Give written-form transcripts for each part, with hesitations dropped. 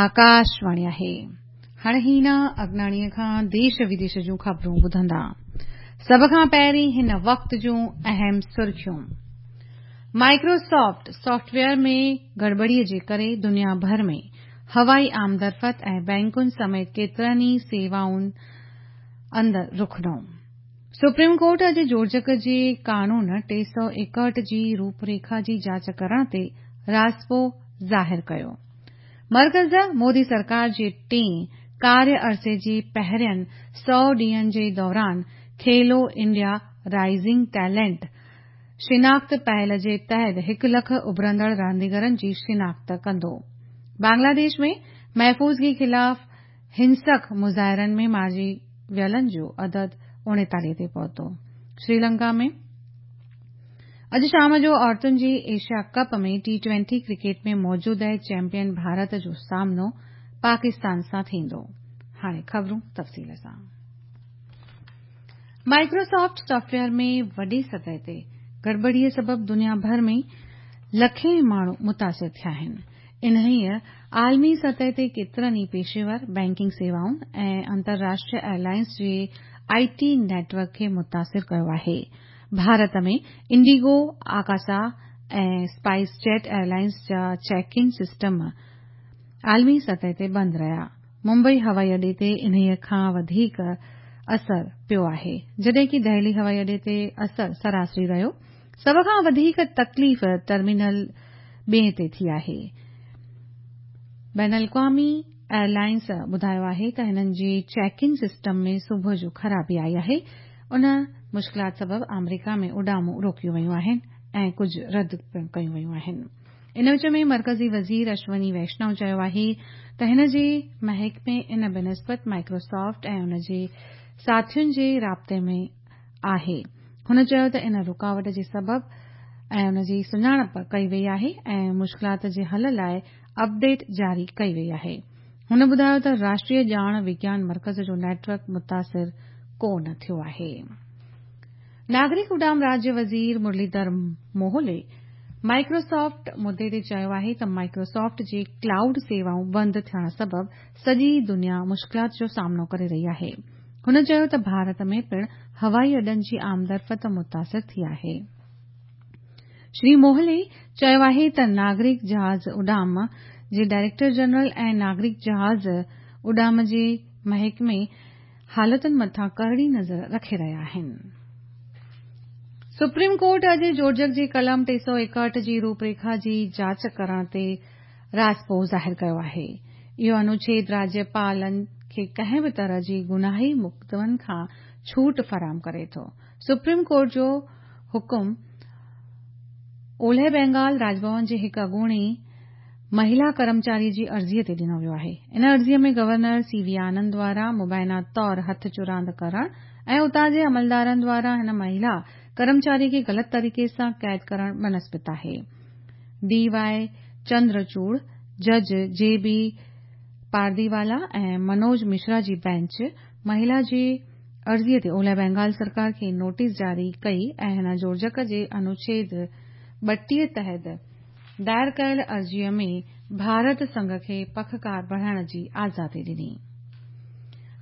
آڪاشواڻي آهي. هاڻي هينا اگناڻيء کان ديش وديش جون خبرون ٻڌندا. سڀ کان پهرين هن وقت جون اهم سرخيون. مائڪروسافٽ سافٽ ويئر ۾ گڙٻڙي جي ڪري دنيا ڀر ۾ هوائي آمدرفت ۽ بئنڪن سميت ڪيترن ئي سيوائن اندر رخنو. سپريم ڪورٽ اڄ جوڙجڪ جي قانون 361 جي روپريکا جي جاچ ڪرڻ تي راضپو ظاهر ڪيو. مرڪز مودي سرڪار جي ٽئين ڪاريه عرصي جي پهرين 100 ڏينهن جي دوران کيلو انڊيا رائزنگ ٽيلنٽ شناخت پهل جي تحت هڪ لک اڀرندڙ رانديگرن جي شناخت ڪندو. بنگلاديش ۾ محفوظگي خلاف هنسڪ مظاهرن ۾ مارجي ويلن جو عدد 39 تي پهتو. سريلنڪا ۾ اڄ شام جو عورتن جي ايشيا ڪپ ۾ ٽي ٽوئنٽي ڪرڪيٽ ۾ موجوده چيمپيئن ڀارت جو سامنو پاڪستان سان ٿيندو. هاڻي خبرون تفصيل سان. مائڪروسافٽ سافٽ ويئر ۾ وڏي سطح تي گڙٻڙي سبب دنيا ڀر ۾ لکين ماڻهو متاثر ٿيا آهن. انهيء عالمي سطح تي ڪيترن ئي پيشيور بئنڪنگ سيوائن ۽ انترراشٽريه ايئرلائنز جي آء ٽي نيٽ ورڪ کي متاثر ڪيو آهي. Bharat ۾ Indigo, Akasa ۽ spice jet airlines جا چيڪ ان سسٽم عالمي سطح تي بند رهيا. ممبئي هوائي اڏي تي انهيء کان وڌيڪ اثر پيو آهي، جڏهن ڪه دهلي هوائي اڏي تي اثر سراسري رهيو. سڀ کان وڌيڪ تڪليف ٽرمينل ٻئين تي ٿي آهي. بين الاقوامي ايئرلائنز ٻڌايو آهي ته هنن جي چيڪ ان سسٽم ۾ صبح جو خرابي آئي آهي. ان مشڪلات سبب آمريڪا ۾ اڏامون روڪيون ويون آهن ۽ ڪجهه رد پڻ ڪيون ويون آهن. ان وچ ۾ مرڪزي وزير اشوني ويشنو چيو آهي ته هن جي محڪمي ان بنسبت مائڪروسافٽ ۽ ان جي ساٿين جي رابطي ۾ آهي. هن چيو ته ان رڪاوٽ جي سبب ۽ ان جي سڃاڻپ ڪئي وئي آهي ۽ مشڪلات جي حل لاء اپڊيٽ جاري ڪئي وئي آهي. هن ٻڌايو ته راشٽريه ڄاڻ وگيان مرڪز جو نيٽ ورڪ متاثر ڪو نه ٿيو آهي. ناگرڪ اڏام راجيه وزير مرليڌر موهولي مائڪروسافٽ مدي تي چيو آهي ته مائڪروسافٽ جي ڪلائوڊ سيوائون بند ٿيڻ سبب سڄي دنيا مشڪلات جو سامنو ڪري رهي آهي. هن چيو ته ڀارت ۾ پڻ هوائي اڏن جي آمدرفت متاثر ٿي آهي. شري موهلي چيو آهي ته ناگرڪ جهاز اڏام جي ڊائريڪٽر جنرل ۽ ناگرڪ جهاز اڏام جي محڪمي حالتن مٿان ڪرڙي نظر رکي رهيا آهن. سپريم ڪورٽ اڄ جوڙجڪ جي قلم 361 جي روپريکا جي جاچ ڪرڻ تي راضپو ظاهر ڪيو آهي. اهو انوڇيد راجيپالن کي ڪنهن به طرح جي گناهي مقدمن کان ڇوٽ فراهم ڪري ٿو. سپريم ڪورٽ جو حڪم اولهه بينگال راڄ ڀون جي هڪ اڳوڻي مهيلا ڪرمچاري جي عرضي تي ڏنو ويو آهي. ان عرضي ۾ گورنر سي وي آنند دواران مبينا طور هٿ چراند ڪرڻ ۽ اتان جي عملدارن دواران هن مهيلا ڪرمچاري کي غلط طريقي سان قيد ڪرڻ بنسبت آهي. ڊي واء چندر چوڙ، جج جي بي پارديوالا ۽ منوج مشرا جي بينچ مهيلا جي عرضي تي اولهه بينگال سرڪار کي نوٽيس جاري ڪئي ۽ هن جوڙجڪ جي انوڇيد 32 تحت دائر ڪيل عرضي ۾ ڀارت سنگهه کي پکڪار بڻائڻ جي آزادي ڏني.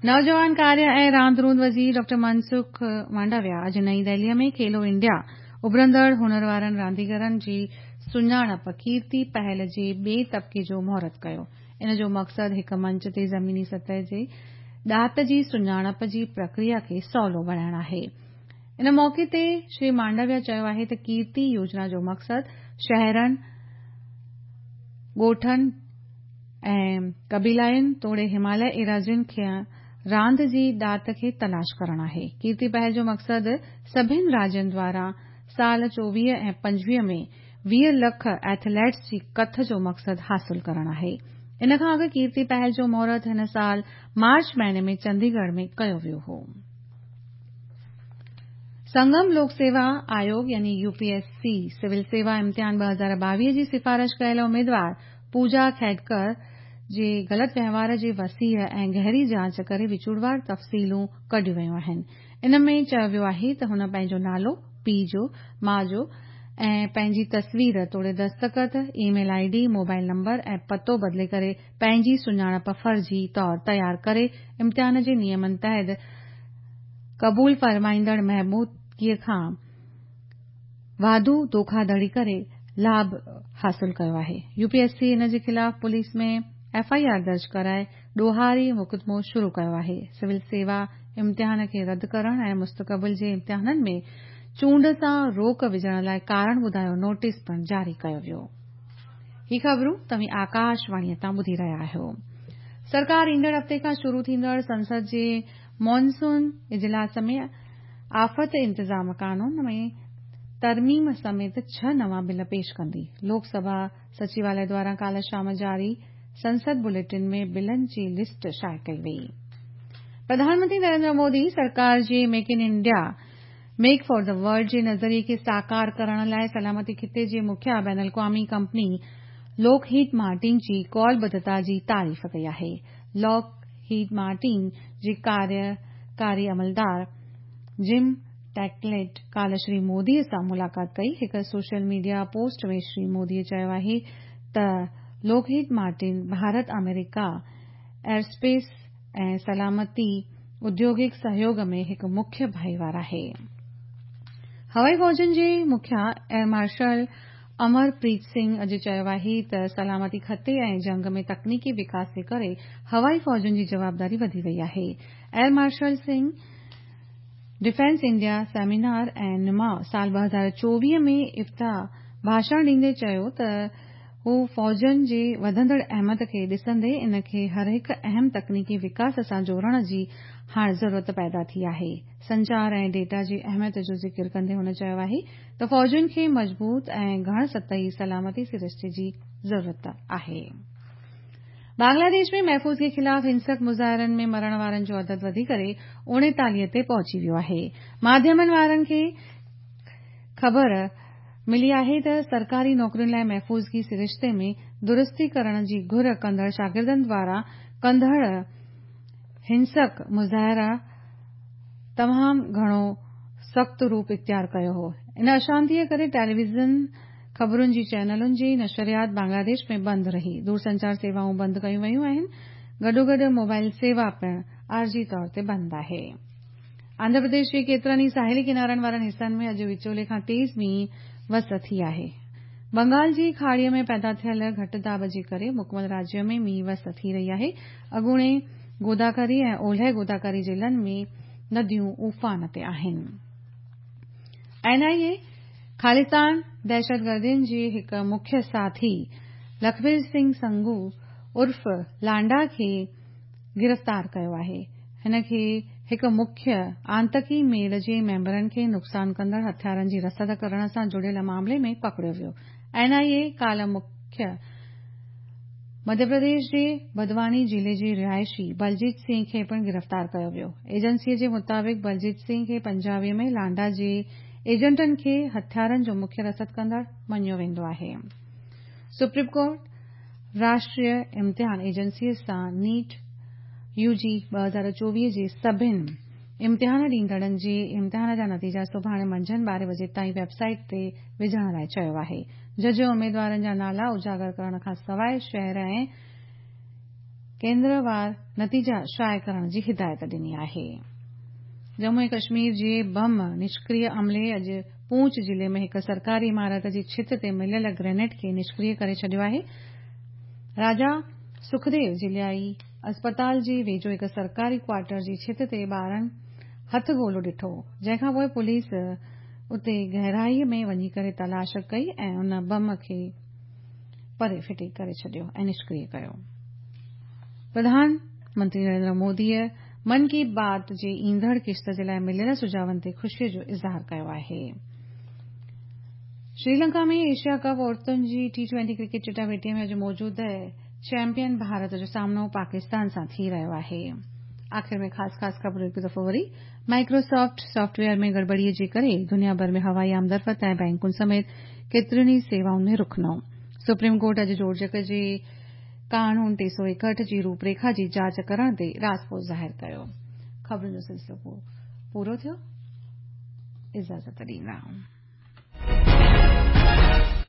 نوجوان ڪاريه ۽ راند روند وزير ڊاڪٽر منسخ مانڊاويا اڄ نئين دهلي ۾ کيلو انڊيا اڀرندڙ هنر وارن رانديگرن جي سڃاڻپ ڪيرتي پهل جي ٻئي طبقي جو مهورت ڪيو. ان جو مقصد هڪ منچ تي زميني سطح جي ڏات جي سڃاڻپ جي پرڪريا کي سولو بڻائڻ آهي. ان موقعي تي شري مانڊاويا چيو آهي ته ڪيرتي يوجنا جو مقصد شهرن، ڳوٺن ۽ قبيلائين توڙي هماليه ايراضين کي راند جي ڏات کي تلاش ڪرڻ آهي. ڪيرتي پهل جو مقصد سڀن راجين دواران سال 24 ۽ 25 ۾ 20 لک ايٿليٽس جي ڪٿ جو مقصد حاصل ڪرڻ آهي. ان کان اڳ ڪيرتي پهل جو مهورت هن سال مارچ مهيني ۾ چنديڳڙهه ۾ ڪيو ويو هو. سنگم لوڪ سيوا آيوگ يعني U P S C civil سيوا امتحان 2022 جي سفارش ڪيل اميدوار پوجا کيڊڪر جي غلط وهنوار جي وسيع ۽ گهري جاچ ڪري وچوڙوار تفصيلون ڪڍيون ويون آهن. ان ۾ چيو ويو آهي ته هن پنهنجو نالو، پيء جو، ماء جو ۽ پنهنجي تصوير توڙي دستخط، email I D, mobile number ۽ پتو بدلي ڪري پنهنجي سڃاڻپ فرضي طور تيار ڪري امتحان جي نيمن تحت قبول فرمائيندڙ محدودگي کان واڌو ڌوکاڌڙي ڪري لاڀ حاصل ڪيو آهي. يو پي ايس سي ان جي خلاف پوليس ۾ ايف I R درج ڪرائي ڏوهاري مقدمو شروع ڪيو آهي. سول سيوا امتحان کي رد ڪرڻ ۽ مستقبل جي امتحانن ۾ چونڊ سان روڪ وجهڻ لاء ڪارڻ ٻڌايو نوٽيس پڻ جاري ڪيو ويو. هي خبرون توهين آڪاشواڻيء تان ٻڌي رهيا آهيو. سرڪار ايندڙ هفتي کان شروع ٿيندڙ سنسد جي مانسون اجلاس ۾ آفت انتظام قانون ۾ ترميم سميت ڇهه نوان بل پيش ڪندي. لوڪ سڀا سچيواليه دواران ڪالهه شام جاري سنسد بليٽن ۾ بلن جي لسٽ شايع ڪئي وئي. پرڌان منتري نريندر مودي سرڪار جي make in India, make for the world جي نظريي کي ساڪار ڪرڻ لاء سلامتي خطي جي مکيه بين الاقوامي ڪمپني لاڪ هيڊ مارٽن جي قولبڌتا جي تعريف ڪئي آهي. لاڪ هيڊ مارٽن جي ڪاريڪاري عملدار جم ٽيڪليٽ ڪالهه شري مودي سان ملاقات ڪئي. هڪ social media post ۾ Shri Modi چيو آهي ته لاڪ هيڊ مارٽن ڀارت آمريڪا ايئرسپيس ۽ سلامتي اديوگڪ سهيوڳ ۾ هڪ مکيه ڀائيوار آهي. هوائي فوجن جي مکيه ايئر مارشل امر پريت سنگهه اڄ چيو آهي ته سلامتي خطي ۽ جنگ ۾ تڪنيڪي وڪاس جي ڪري هوائي فوجن جي جوابداري وڌي وئي آهي. Air marshal Singh defence India seminar ۽ نماء سال 2024 ۾ افتتاح ڀاشڻ ڏيندي چيو ته هو فوجن جي وڌندڙ اهميت کي ڏسندي ان کي هر هڪ اهم تڪنيڪي وڪاس سان جوڙڻ جي هاڻ ضرورت پيدا ٿي آهي. سنچار ۽ ڊيٽا جي اهميت جو ذڪر ڪندي هن چيو آهي ته فوجن کي مضبوط ۽ گهڻ سطحي سلامتي سرشتي جي ضرورت آهي. بنگلاديش ۾ محفوظگي خلاف هنسڪ مظاهرن ۾ مرڻ وارن جو عدد وڌي ڪري 39 تي پهچي ويو آهي. ماڌيمن وارن کي خبر ملي آهي ته سرڪاري نوڪرين لاء محفوظگي سرشتي ۾ درستي ڪرڻ جي گهر ڪندڙ شاگردن دواران ڪندڙ هنسڪ مظاهرا تمام گهڻو سخت روپ اختيار ڪيو هو. ان اشانتيء ڪري ٽيليويزن خبرن جي چينلن جي نشريات بنگلاديش ۾ بند رهي. دورسنچار سيوائون بند ڪيون ويون آهن. گڏوگڏ موبائل سيوا پڻ عارضي طور تي بند آهي. آنڌرا پرديش جي ڪيترن ئي ساحلي ڪنارن وارن حصن ۾ اڄ وچولي کان تيز مينهن وس ٿي آهي. بنگال جي کاڙيء ۾ پيدا ٿيل گهٽ داٻ جي ڪري مڪمل راجيه ۾ مينهن وس ٿي رهي آهي. اڳوڻي گوداڪري ۽ اولهه گوداڪري ضلعن ۾ نديون اوفان تي آهن. اين آء اي خالصتان دهشتگردين جي هڪ مکيه ساٿي لکبير سنگهه سنگهو عرف لانڊا کي گرفتار ڪيو آهي. هن کي هڪ مکيه آتنڪي ميڙ جي ميمبرن کي نقصان ڪندڙ هٿيارن جي رسد ڪرڻ سان جڙيل معاملي ۾ پڪڙيو ويو. اين آء اي ڪالهه مکيه مڌيه پرديش جي بدواني ضلعي جي رهائشي بلجيت سنگهه کي پڻ گرفتار ڪيو ويو. ايجنسي جي مطابق بلجيت سنگهه کي پنجاوي ۾ لانڊا جي ايجنٽن کي هٿيارن جو مکيه رسد ڪندڙ مڃيو ويندو آهي. سپريم ڪورٽ راشٽريه امتحان ايجنسي سان نيٽ يو جي 2024 جي سڀن امتحان ڏيندڙن جي امتحان جا نتيجا سڀاڻي منجهند 12 وڄي تائين ويب سائيٽ تي وجهڻ لاء چيو آهي. جج اميدوارن جا نالا اجاگر ڪرڻ کان سواء شهر ۽ ڪيندروار نتيجا شايع ڪرڻ جي هدايت ڏني آهي. ڄمون ۽ ڪشمير جي بم نشڪريه عملي اڄ پونچ ضلعي ۾ هڪ سرڪاري عمارت جي ڇت تي مليل گرينيڊ کي نشڪريه ڪري ڇڏيو آهي. راجا سکديو ضلعي اسپتال جي ويجهو هڪ سرڪاري ڪوارٽر جي ڇت تي ٻارن هٿ گولو ڏٺو، جنهن کانپوء پوليس اتي گهرائي ۾ وڃي ڪري تلاش ڪئي ۽ ان بم کي پري ڦٽي ڪري ڇڏيو ۽ نشڪريه ڪيو. پرڌان منتري نريندر موديء من ڪي بات جي ايندڙ قسط جي لاء مليل سجهاون تي خوشي جو اظهار ڪيو آهي. سريلنڪا ۾ ايشيا ڪپ عورتن جي ٽي ٽوئنٽي ڪرڪيٽ چٽاڀيٽي ۾ اڄ موجوده چيمپيئن ڀارت جو سامنو پاڪستان سان ٿي رهيو آهي. آخر ۾ خاص خاص خبرون هڪ دفعو وري مائيڪروسافٽ سافٽ ويئر ۾ گڙٻڙي جي ڪري دنيا ڀر ۾ هوائي آمدرفت ۽ بئنڪن سميت ڪيترين ئي سيوائن ۾ رخنو. سپريم ڪورٽ اڄ جوڙجڪ جي قانون 361 جي روپريکا جي جاچ ڪرڻ تي راضپو ظاهر ڪيو. خبرن جو سلسلو پورو ٿيو. اجازت ڏيندا.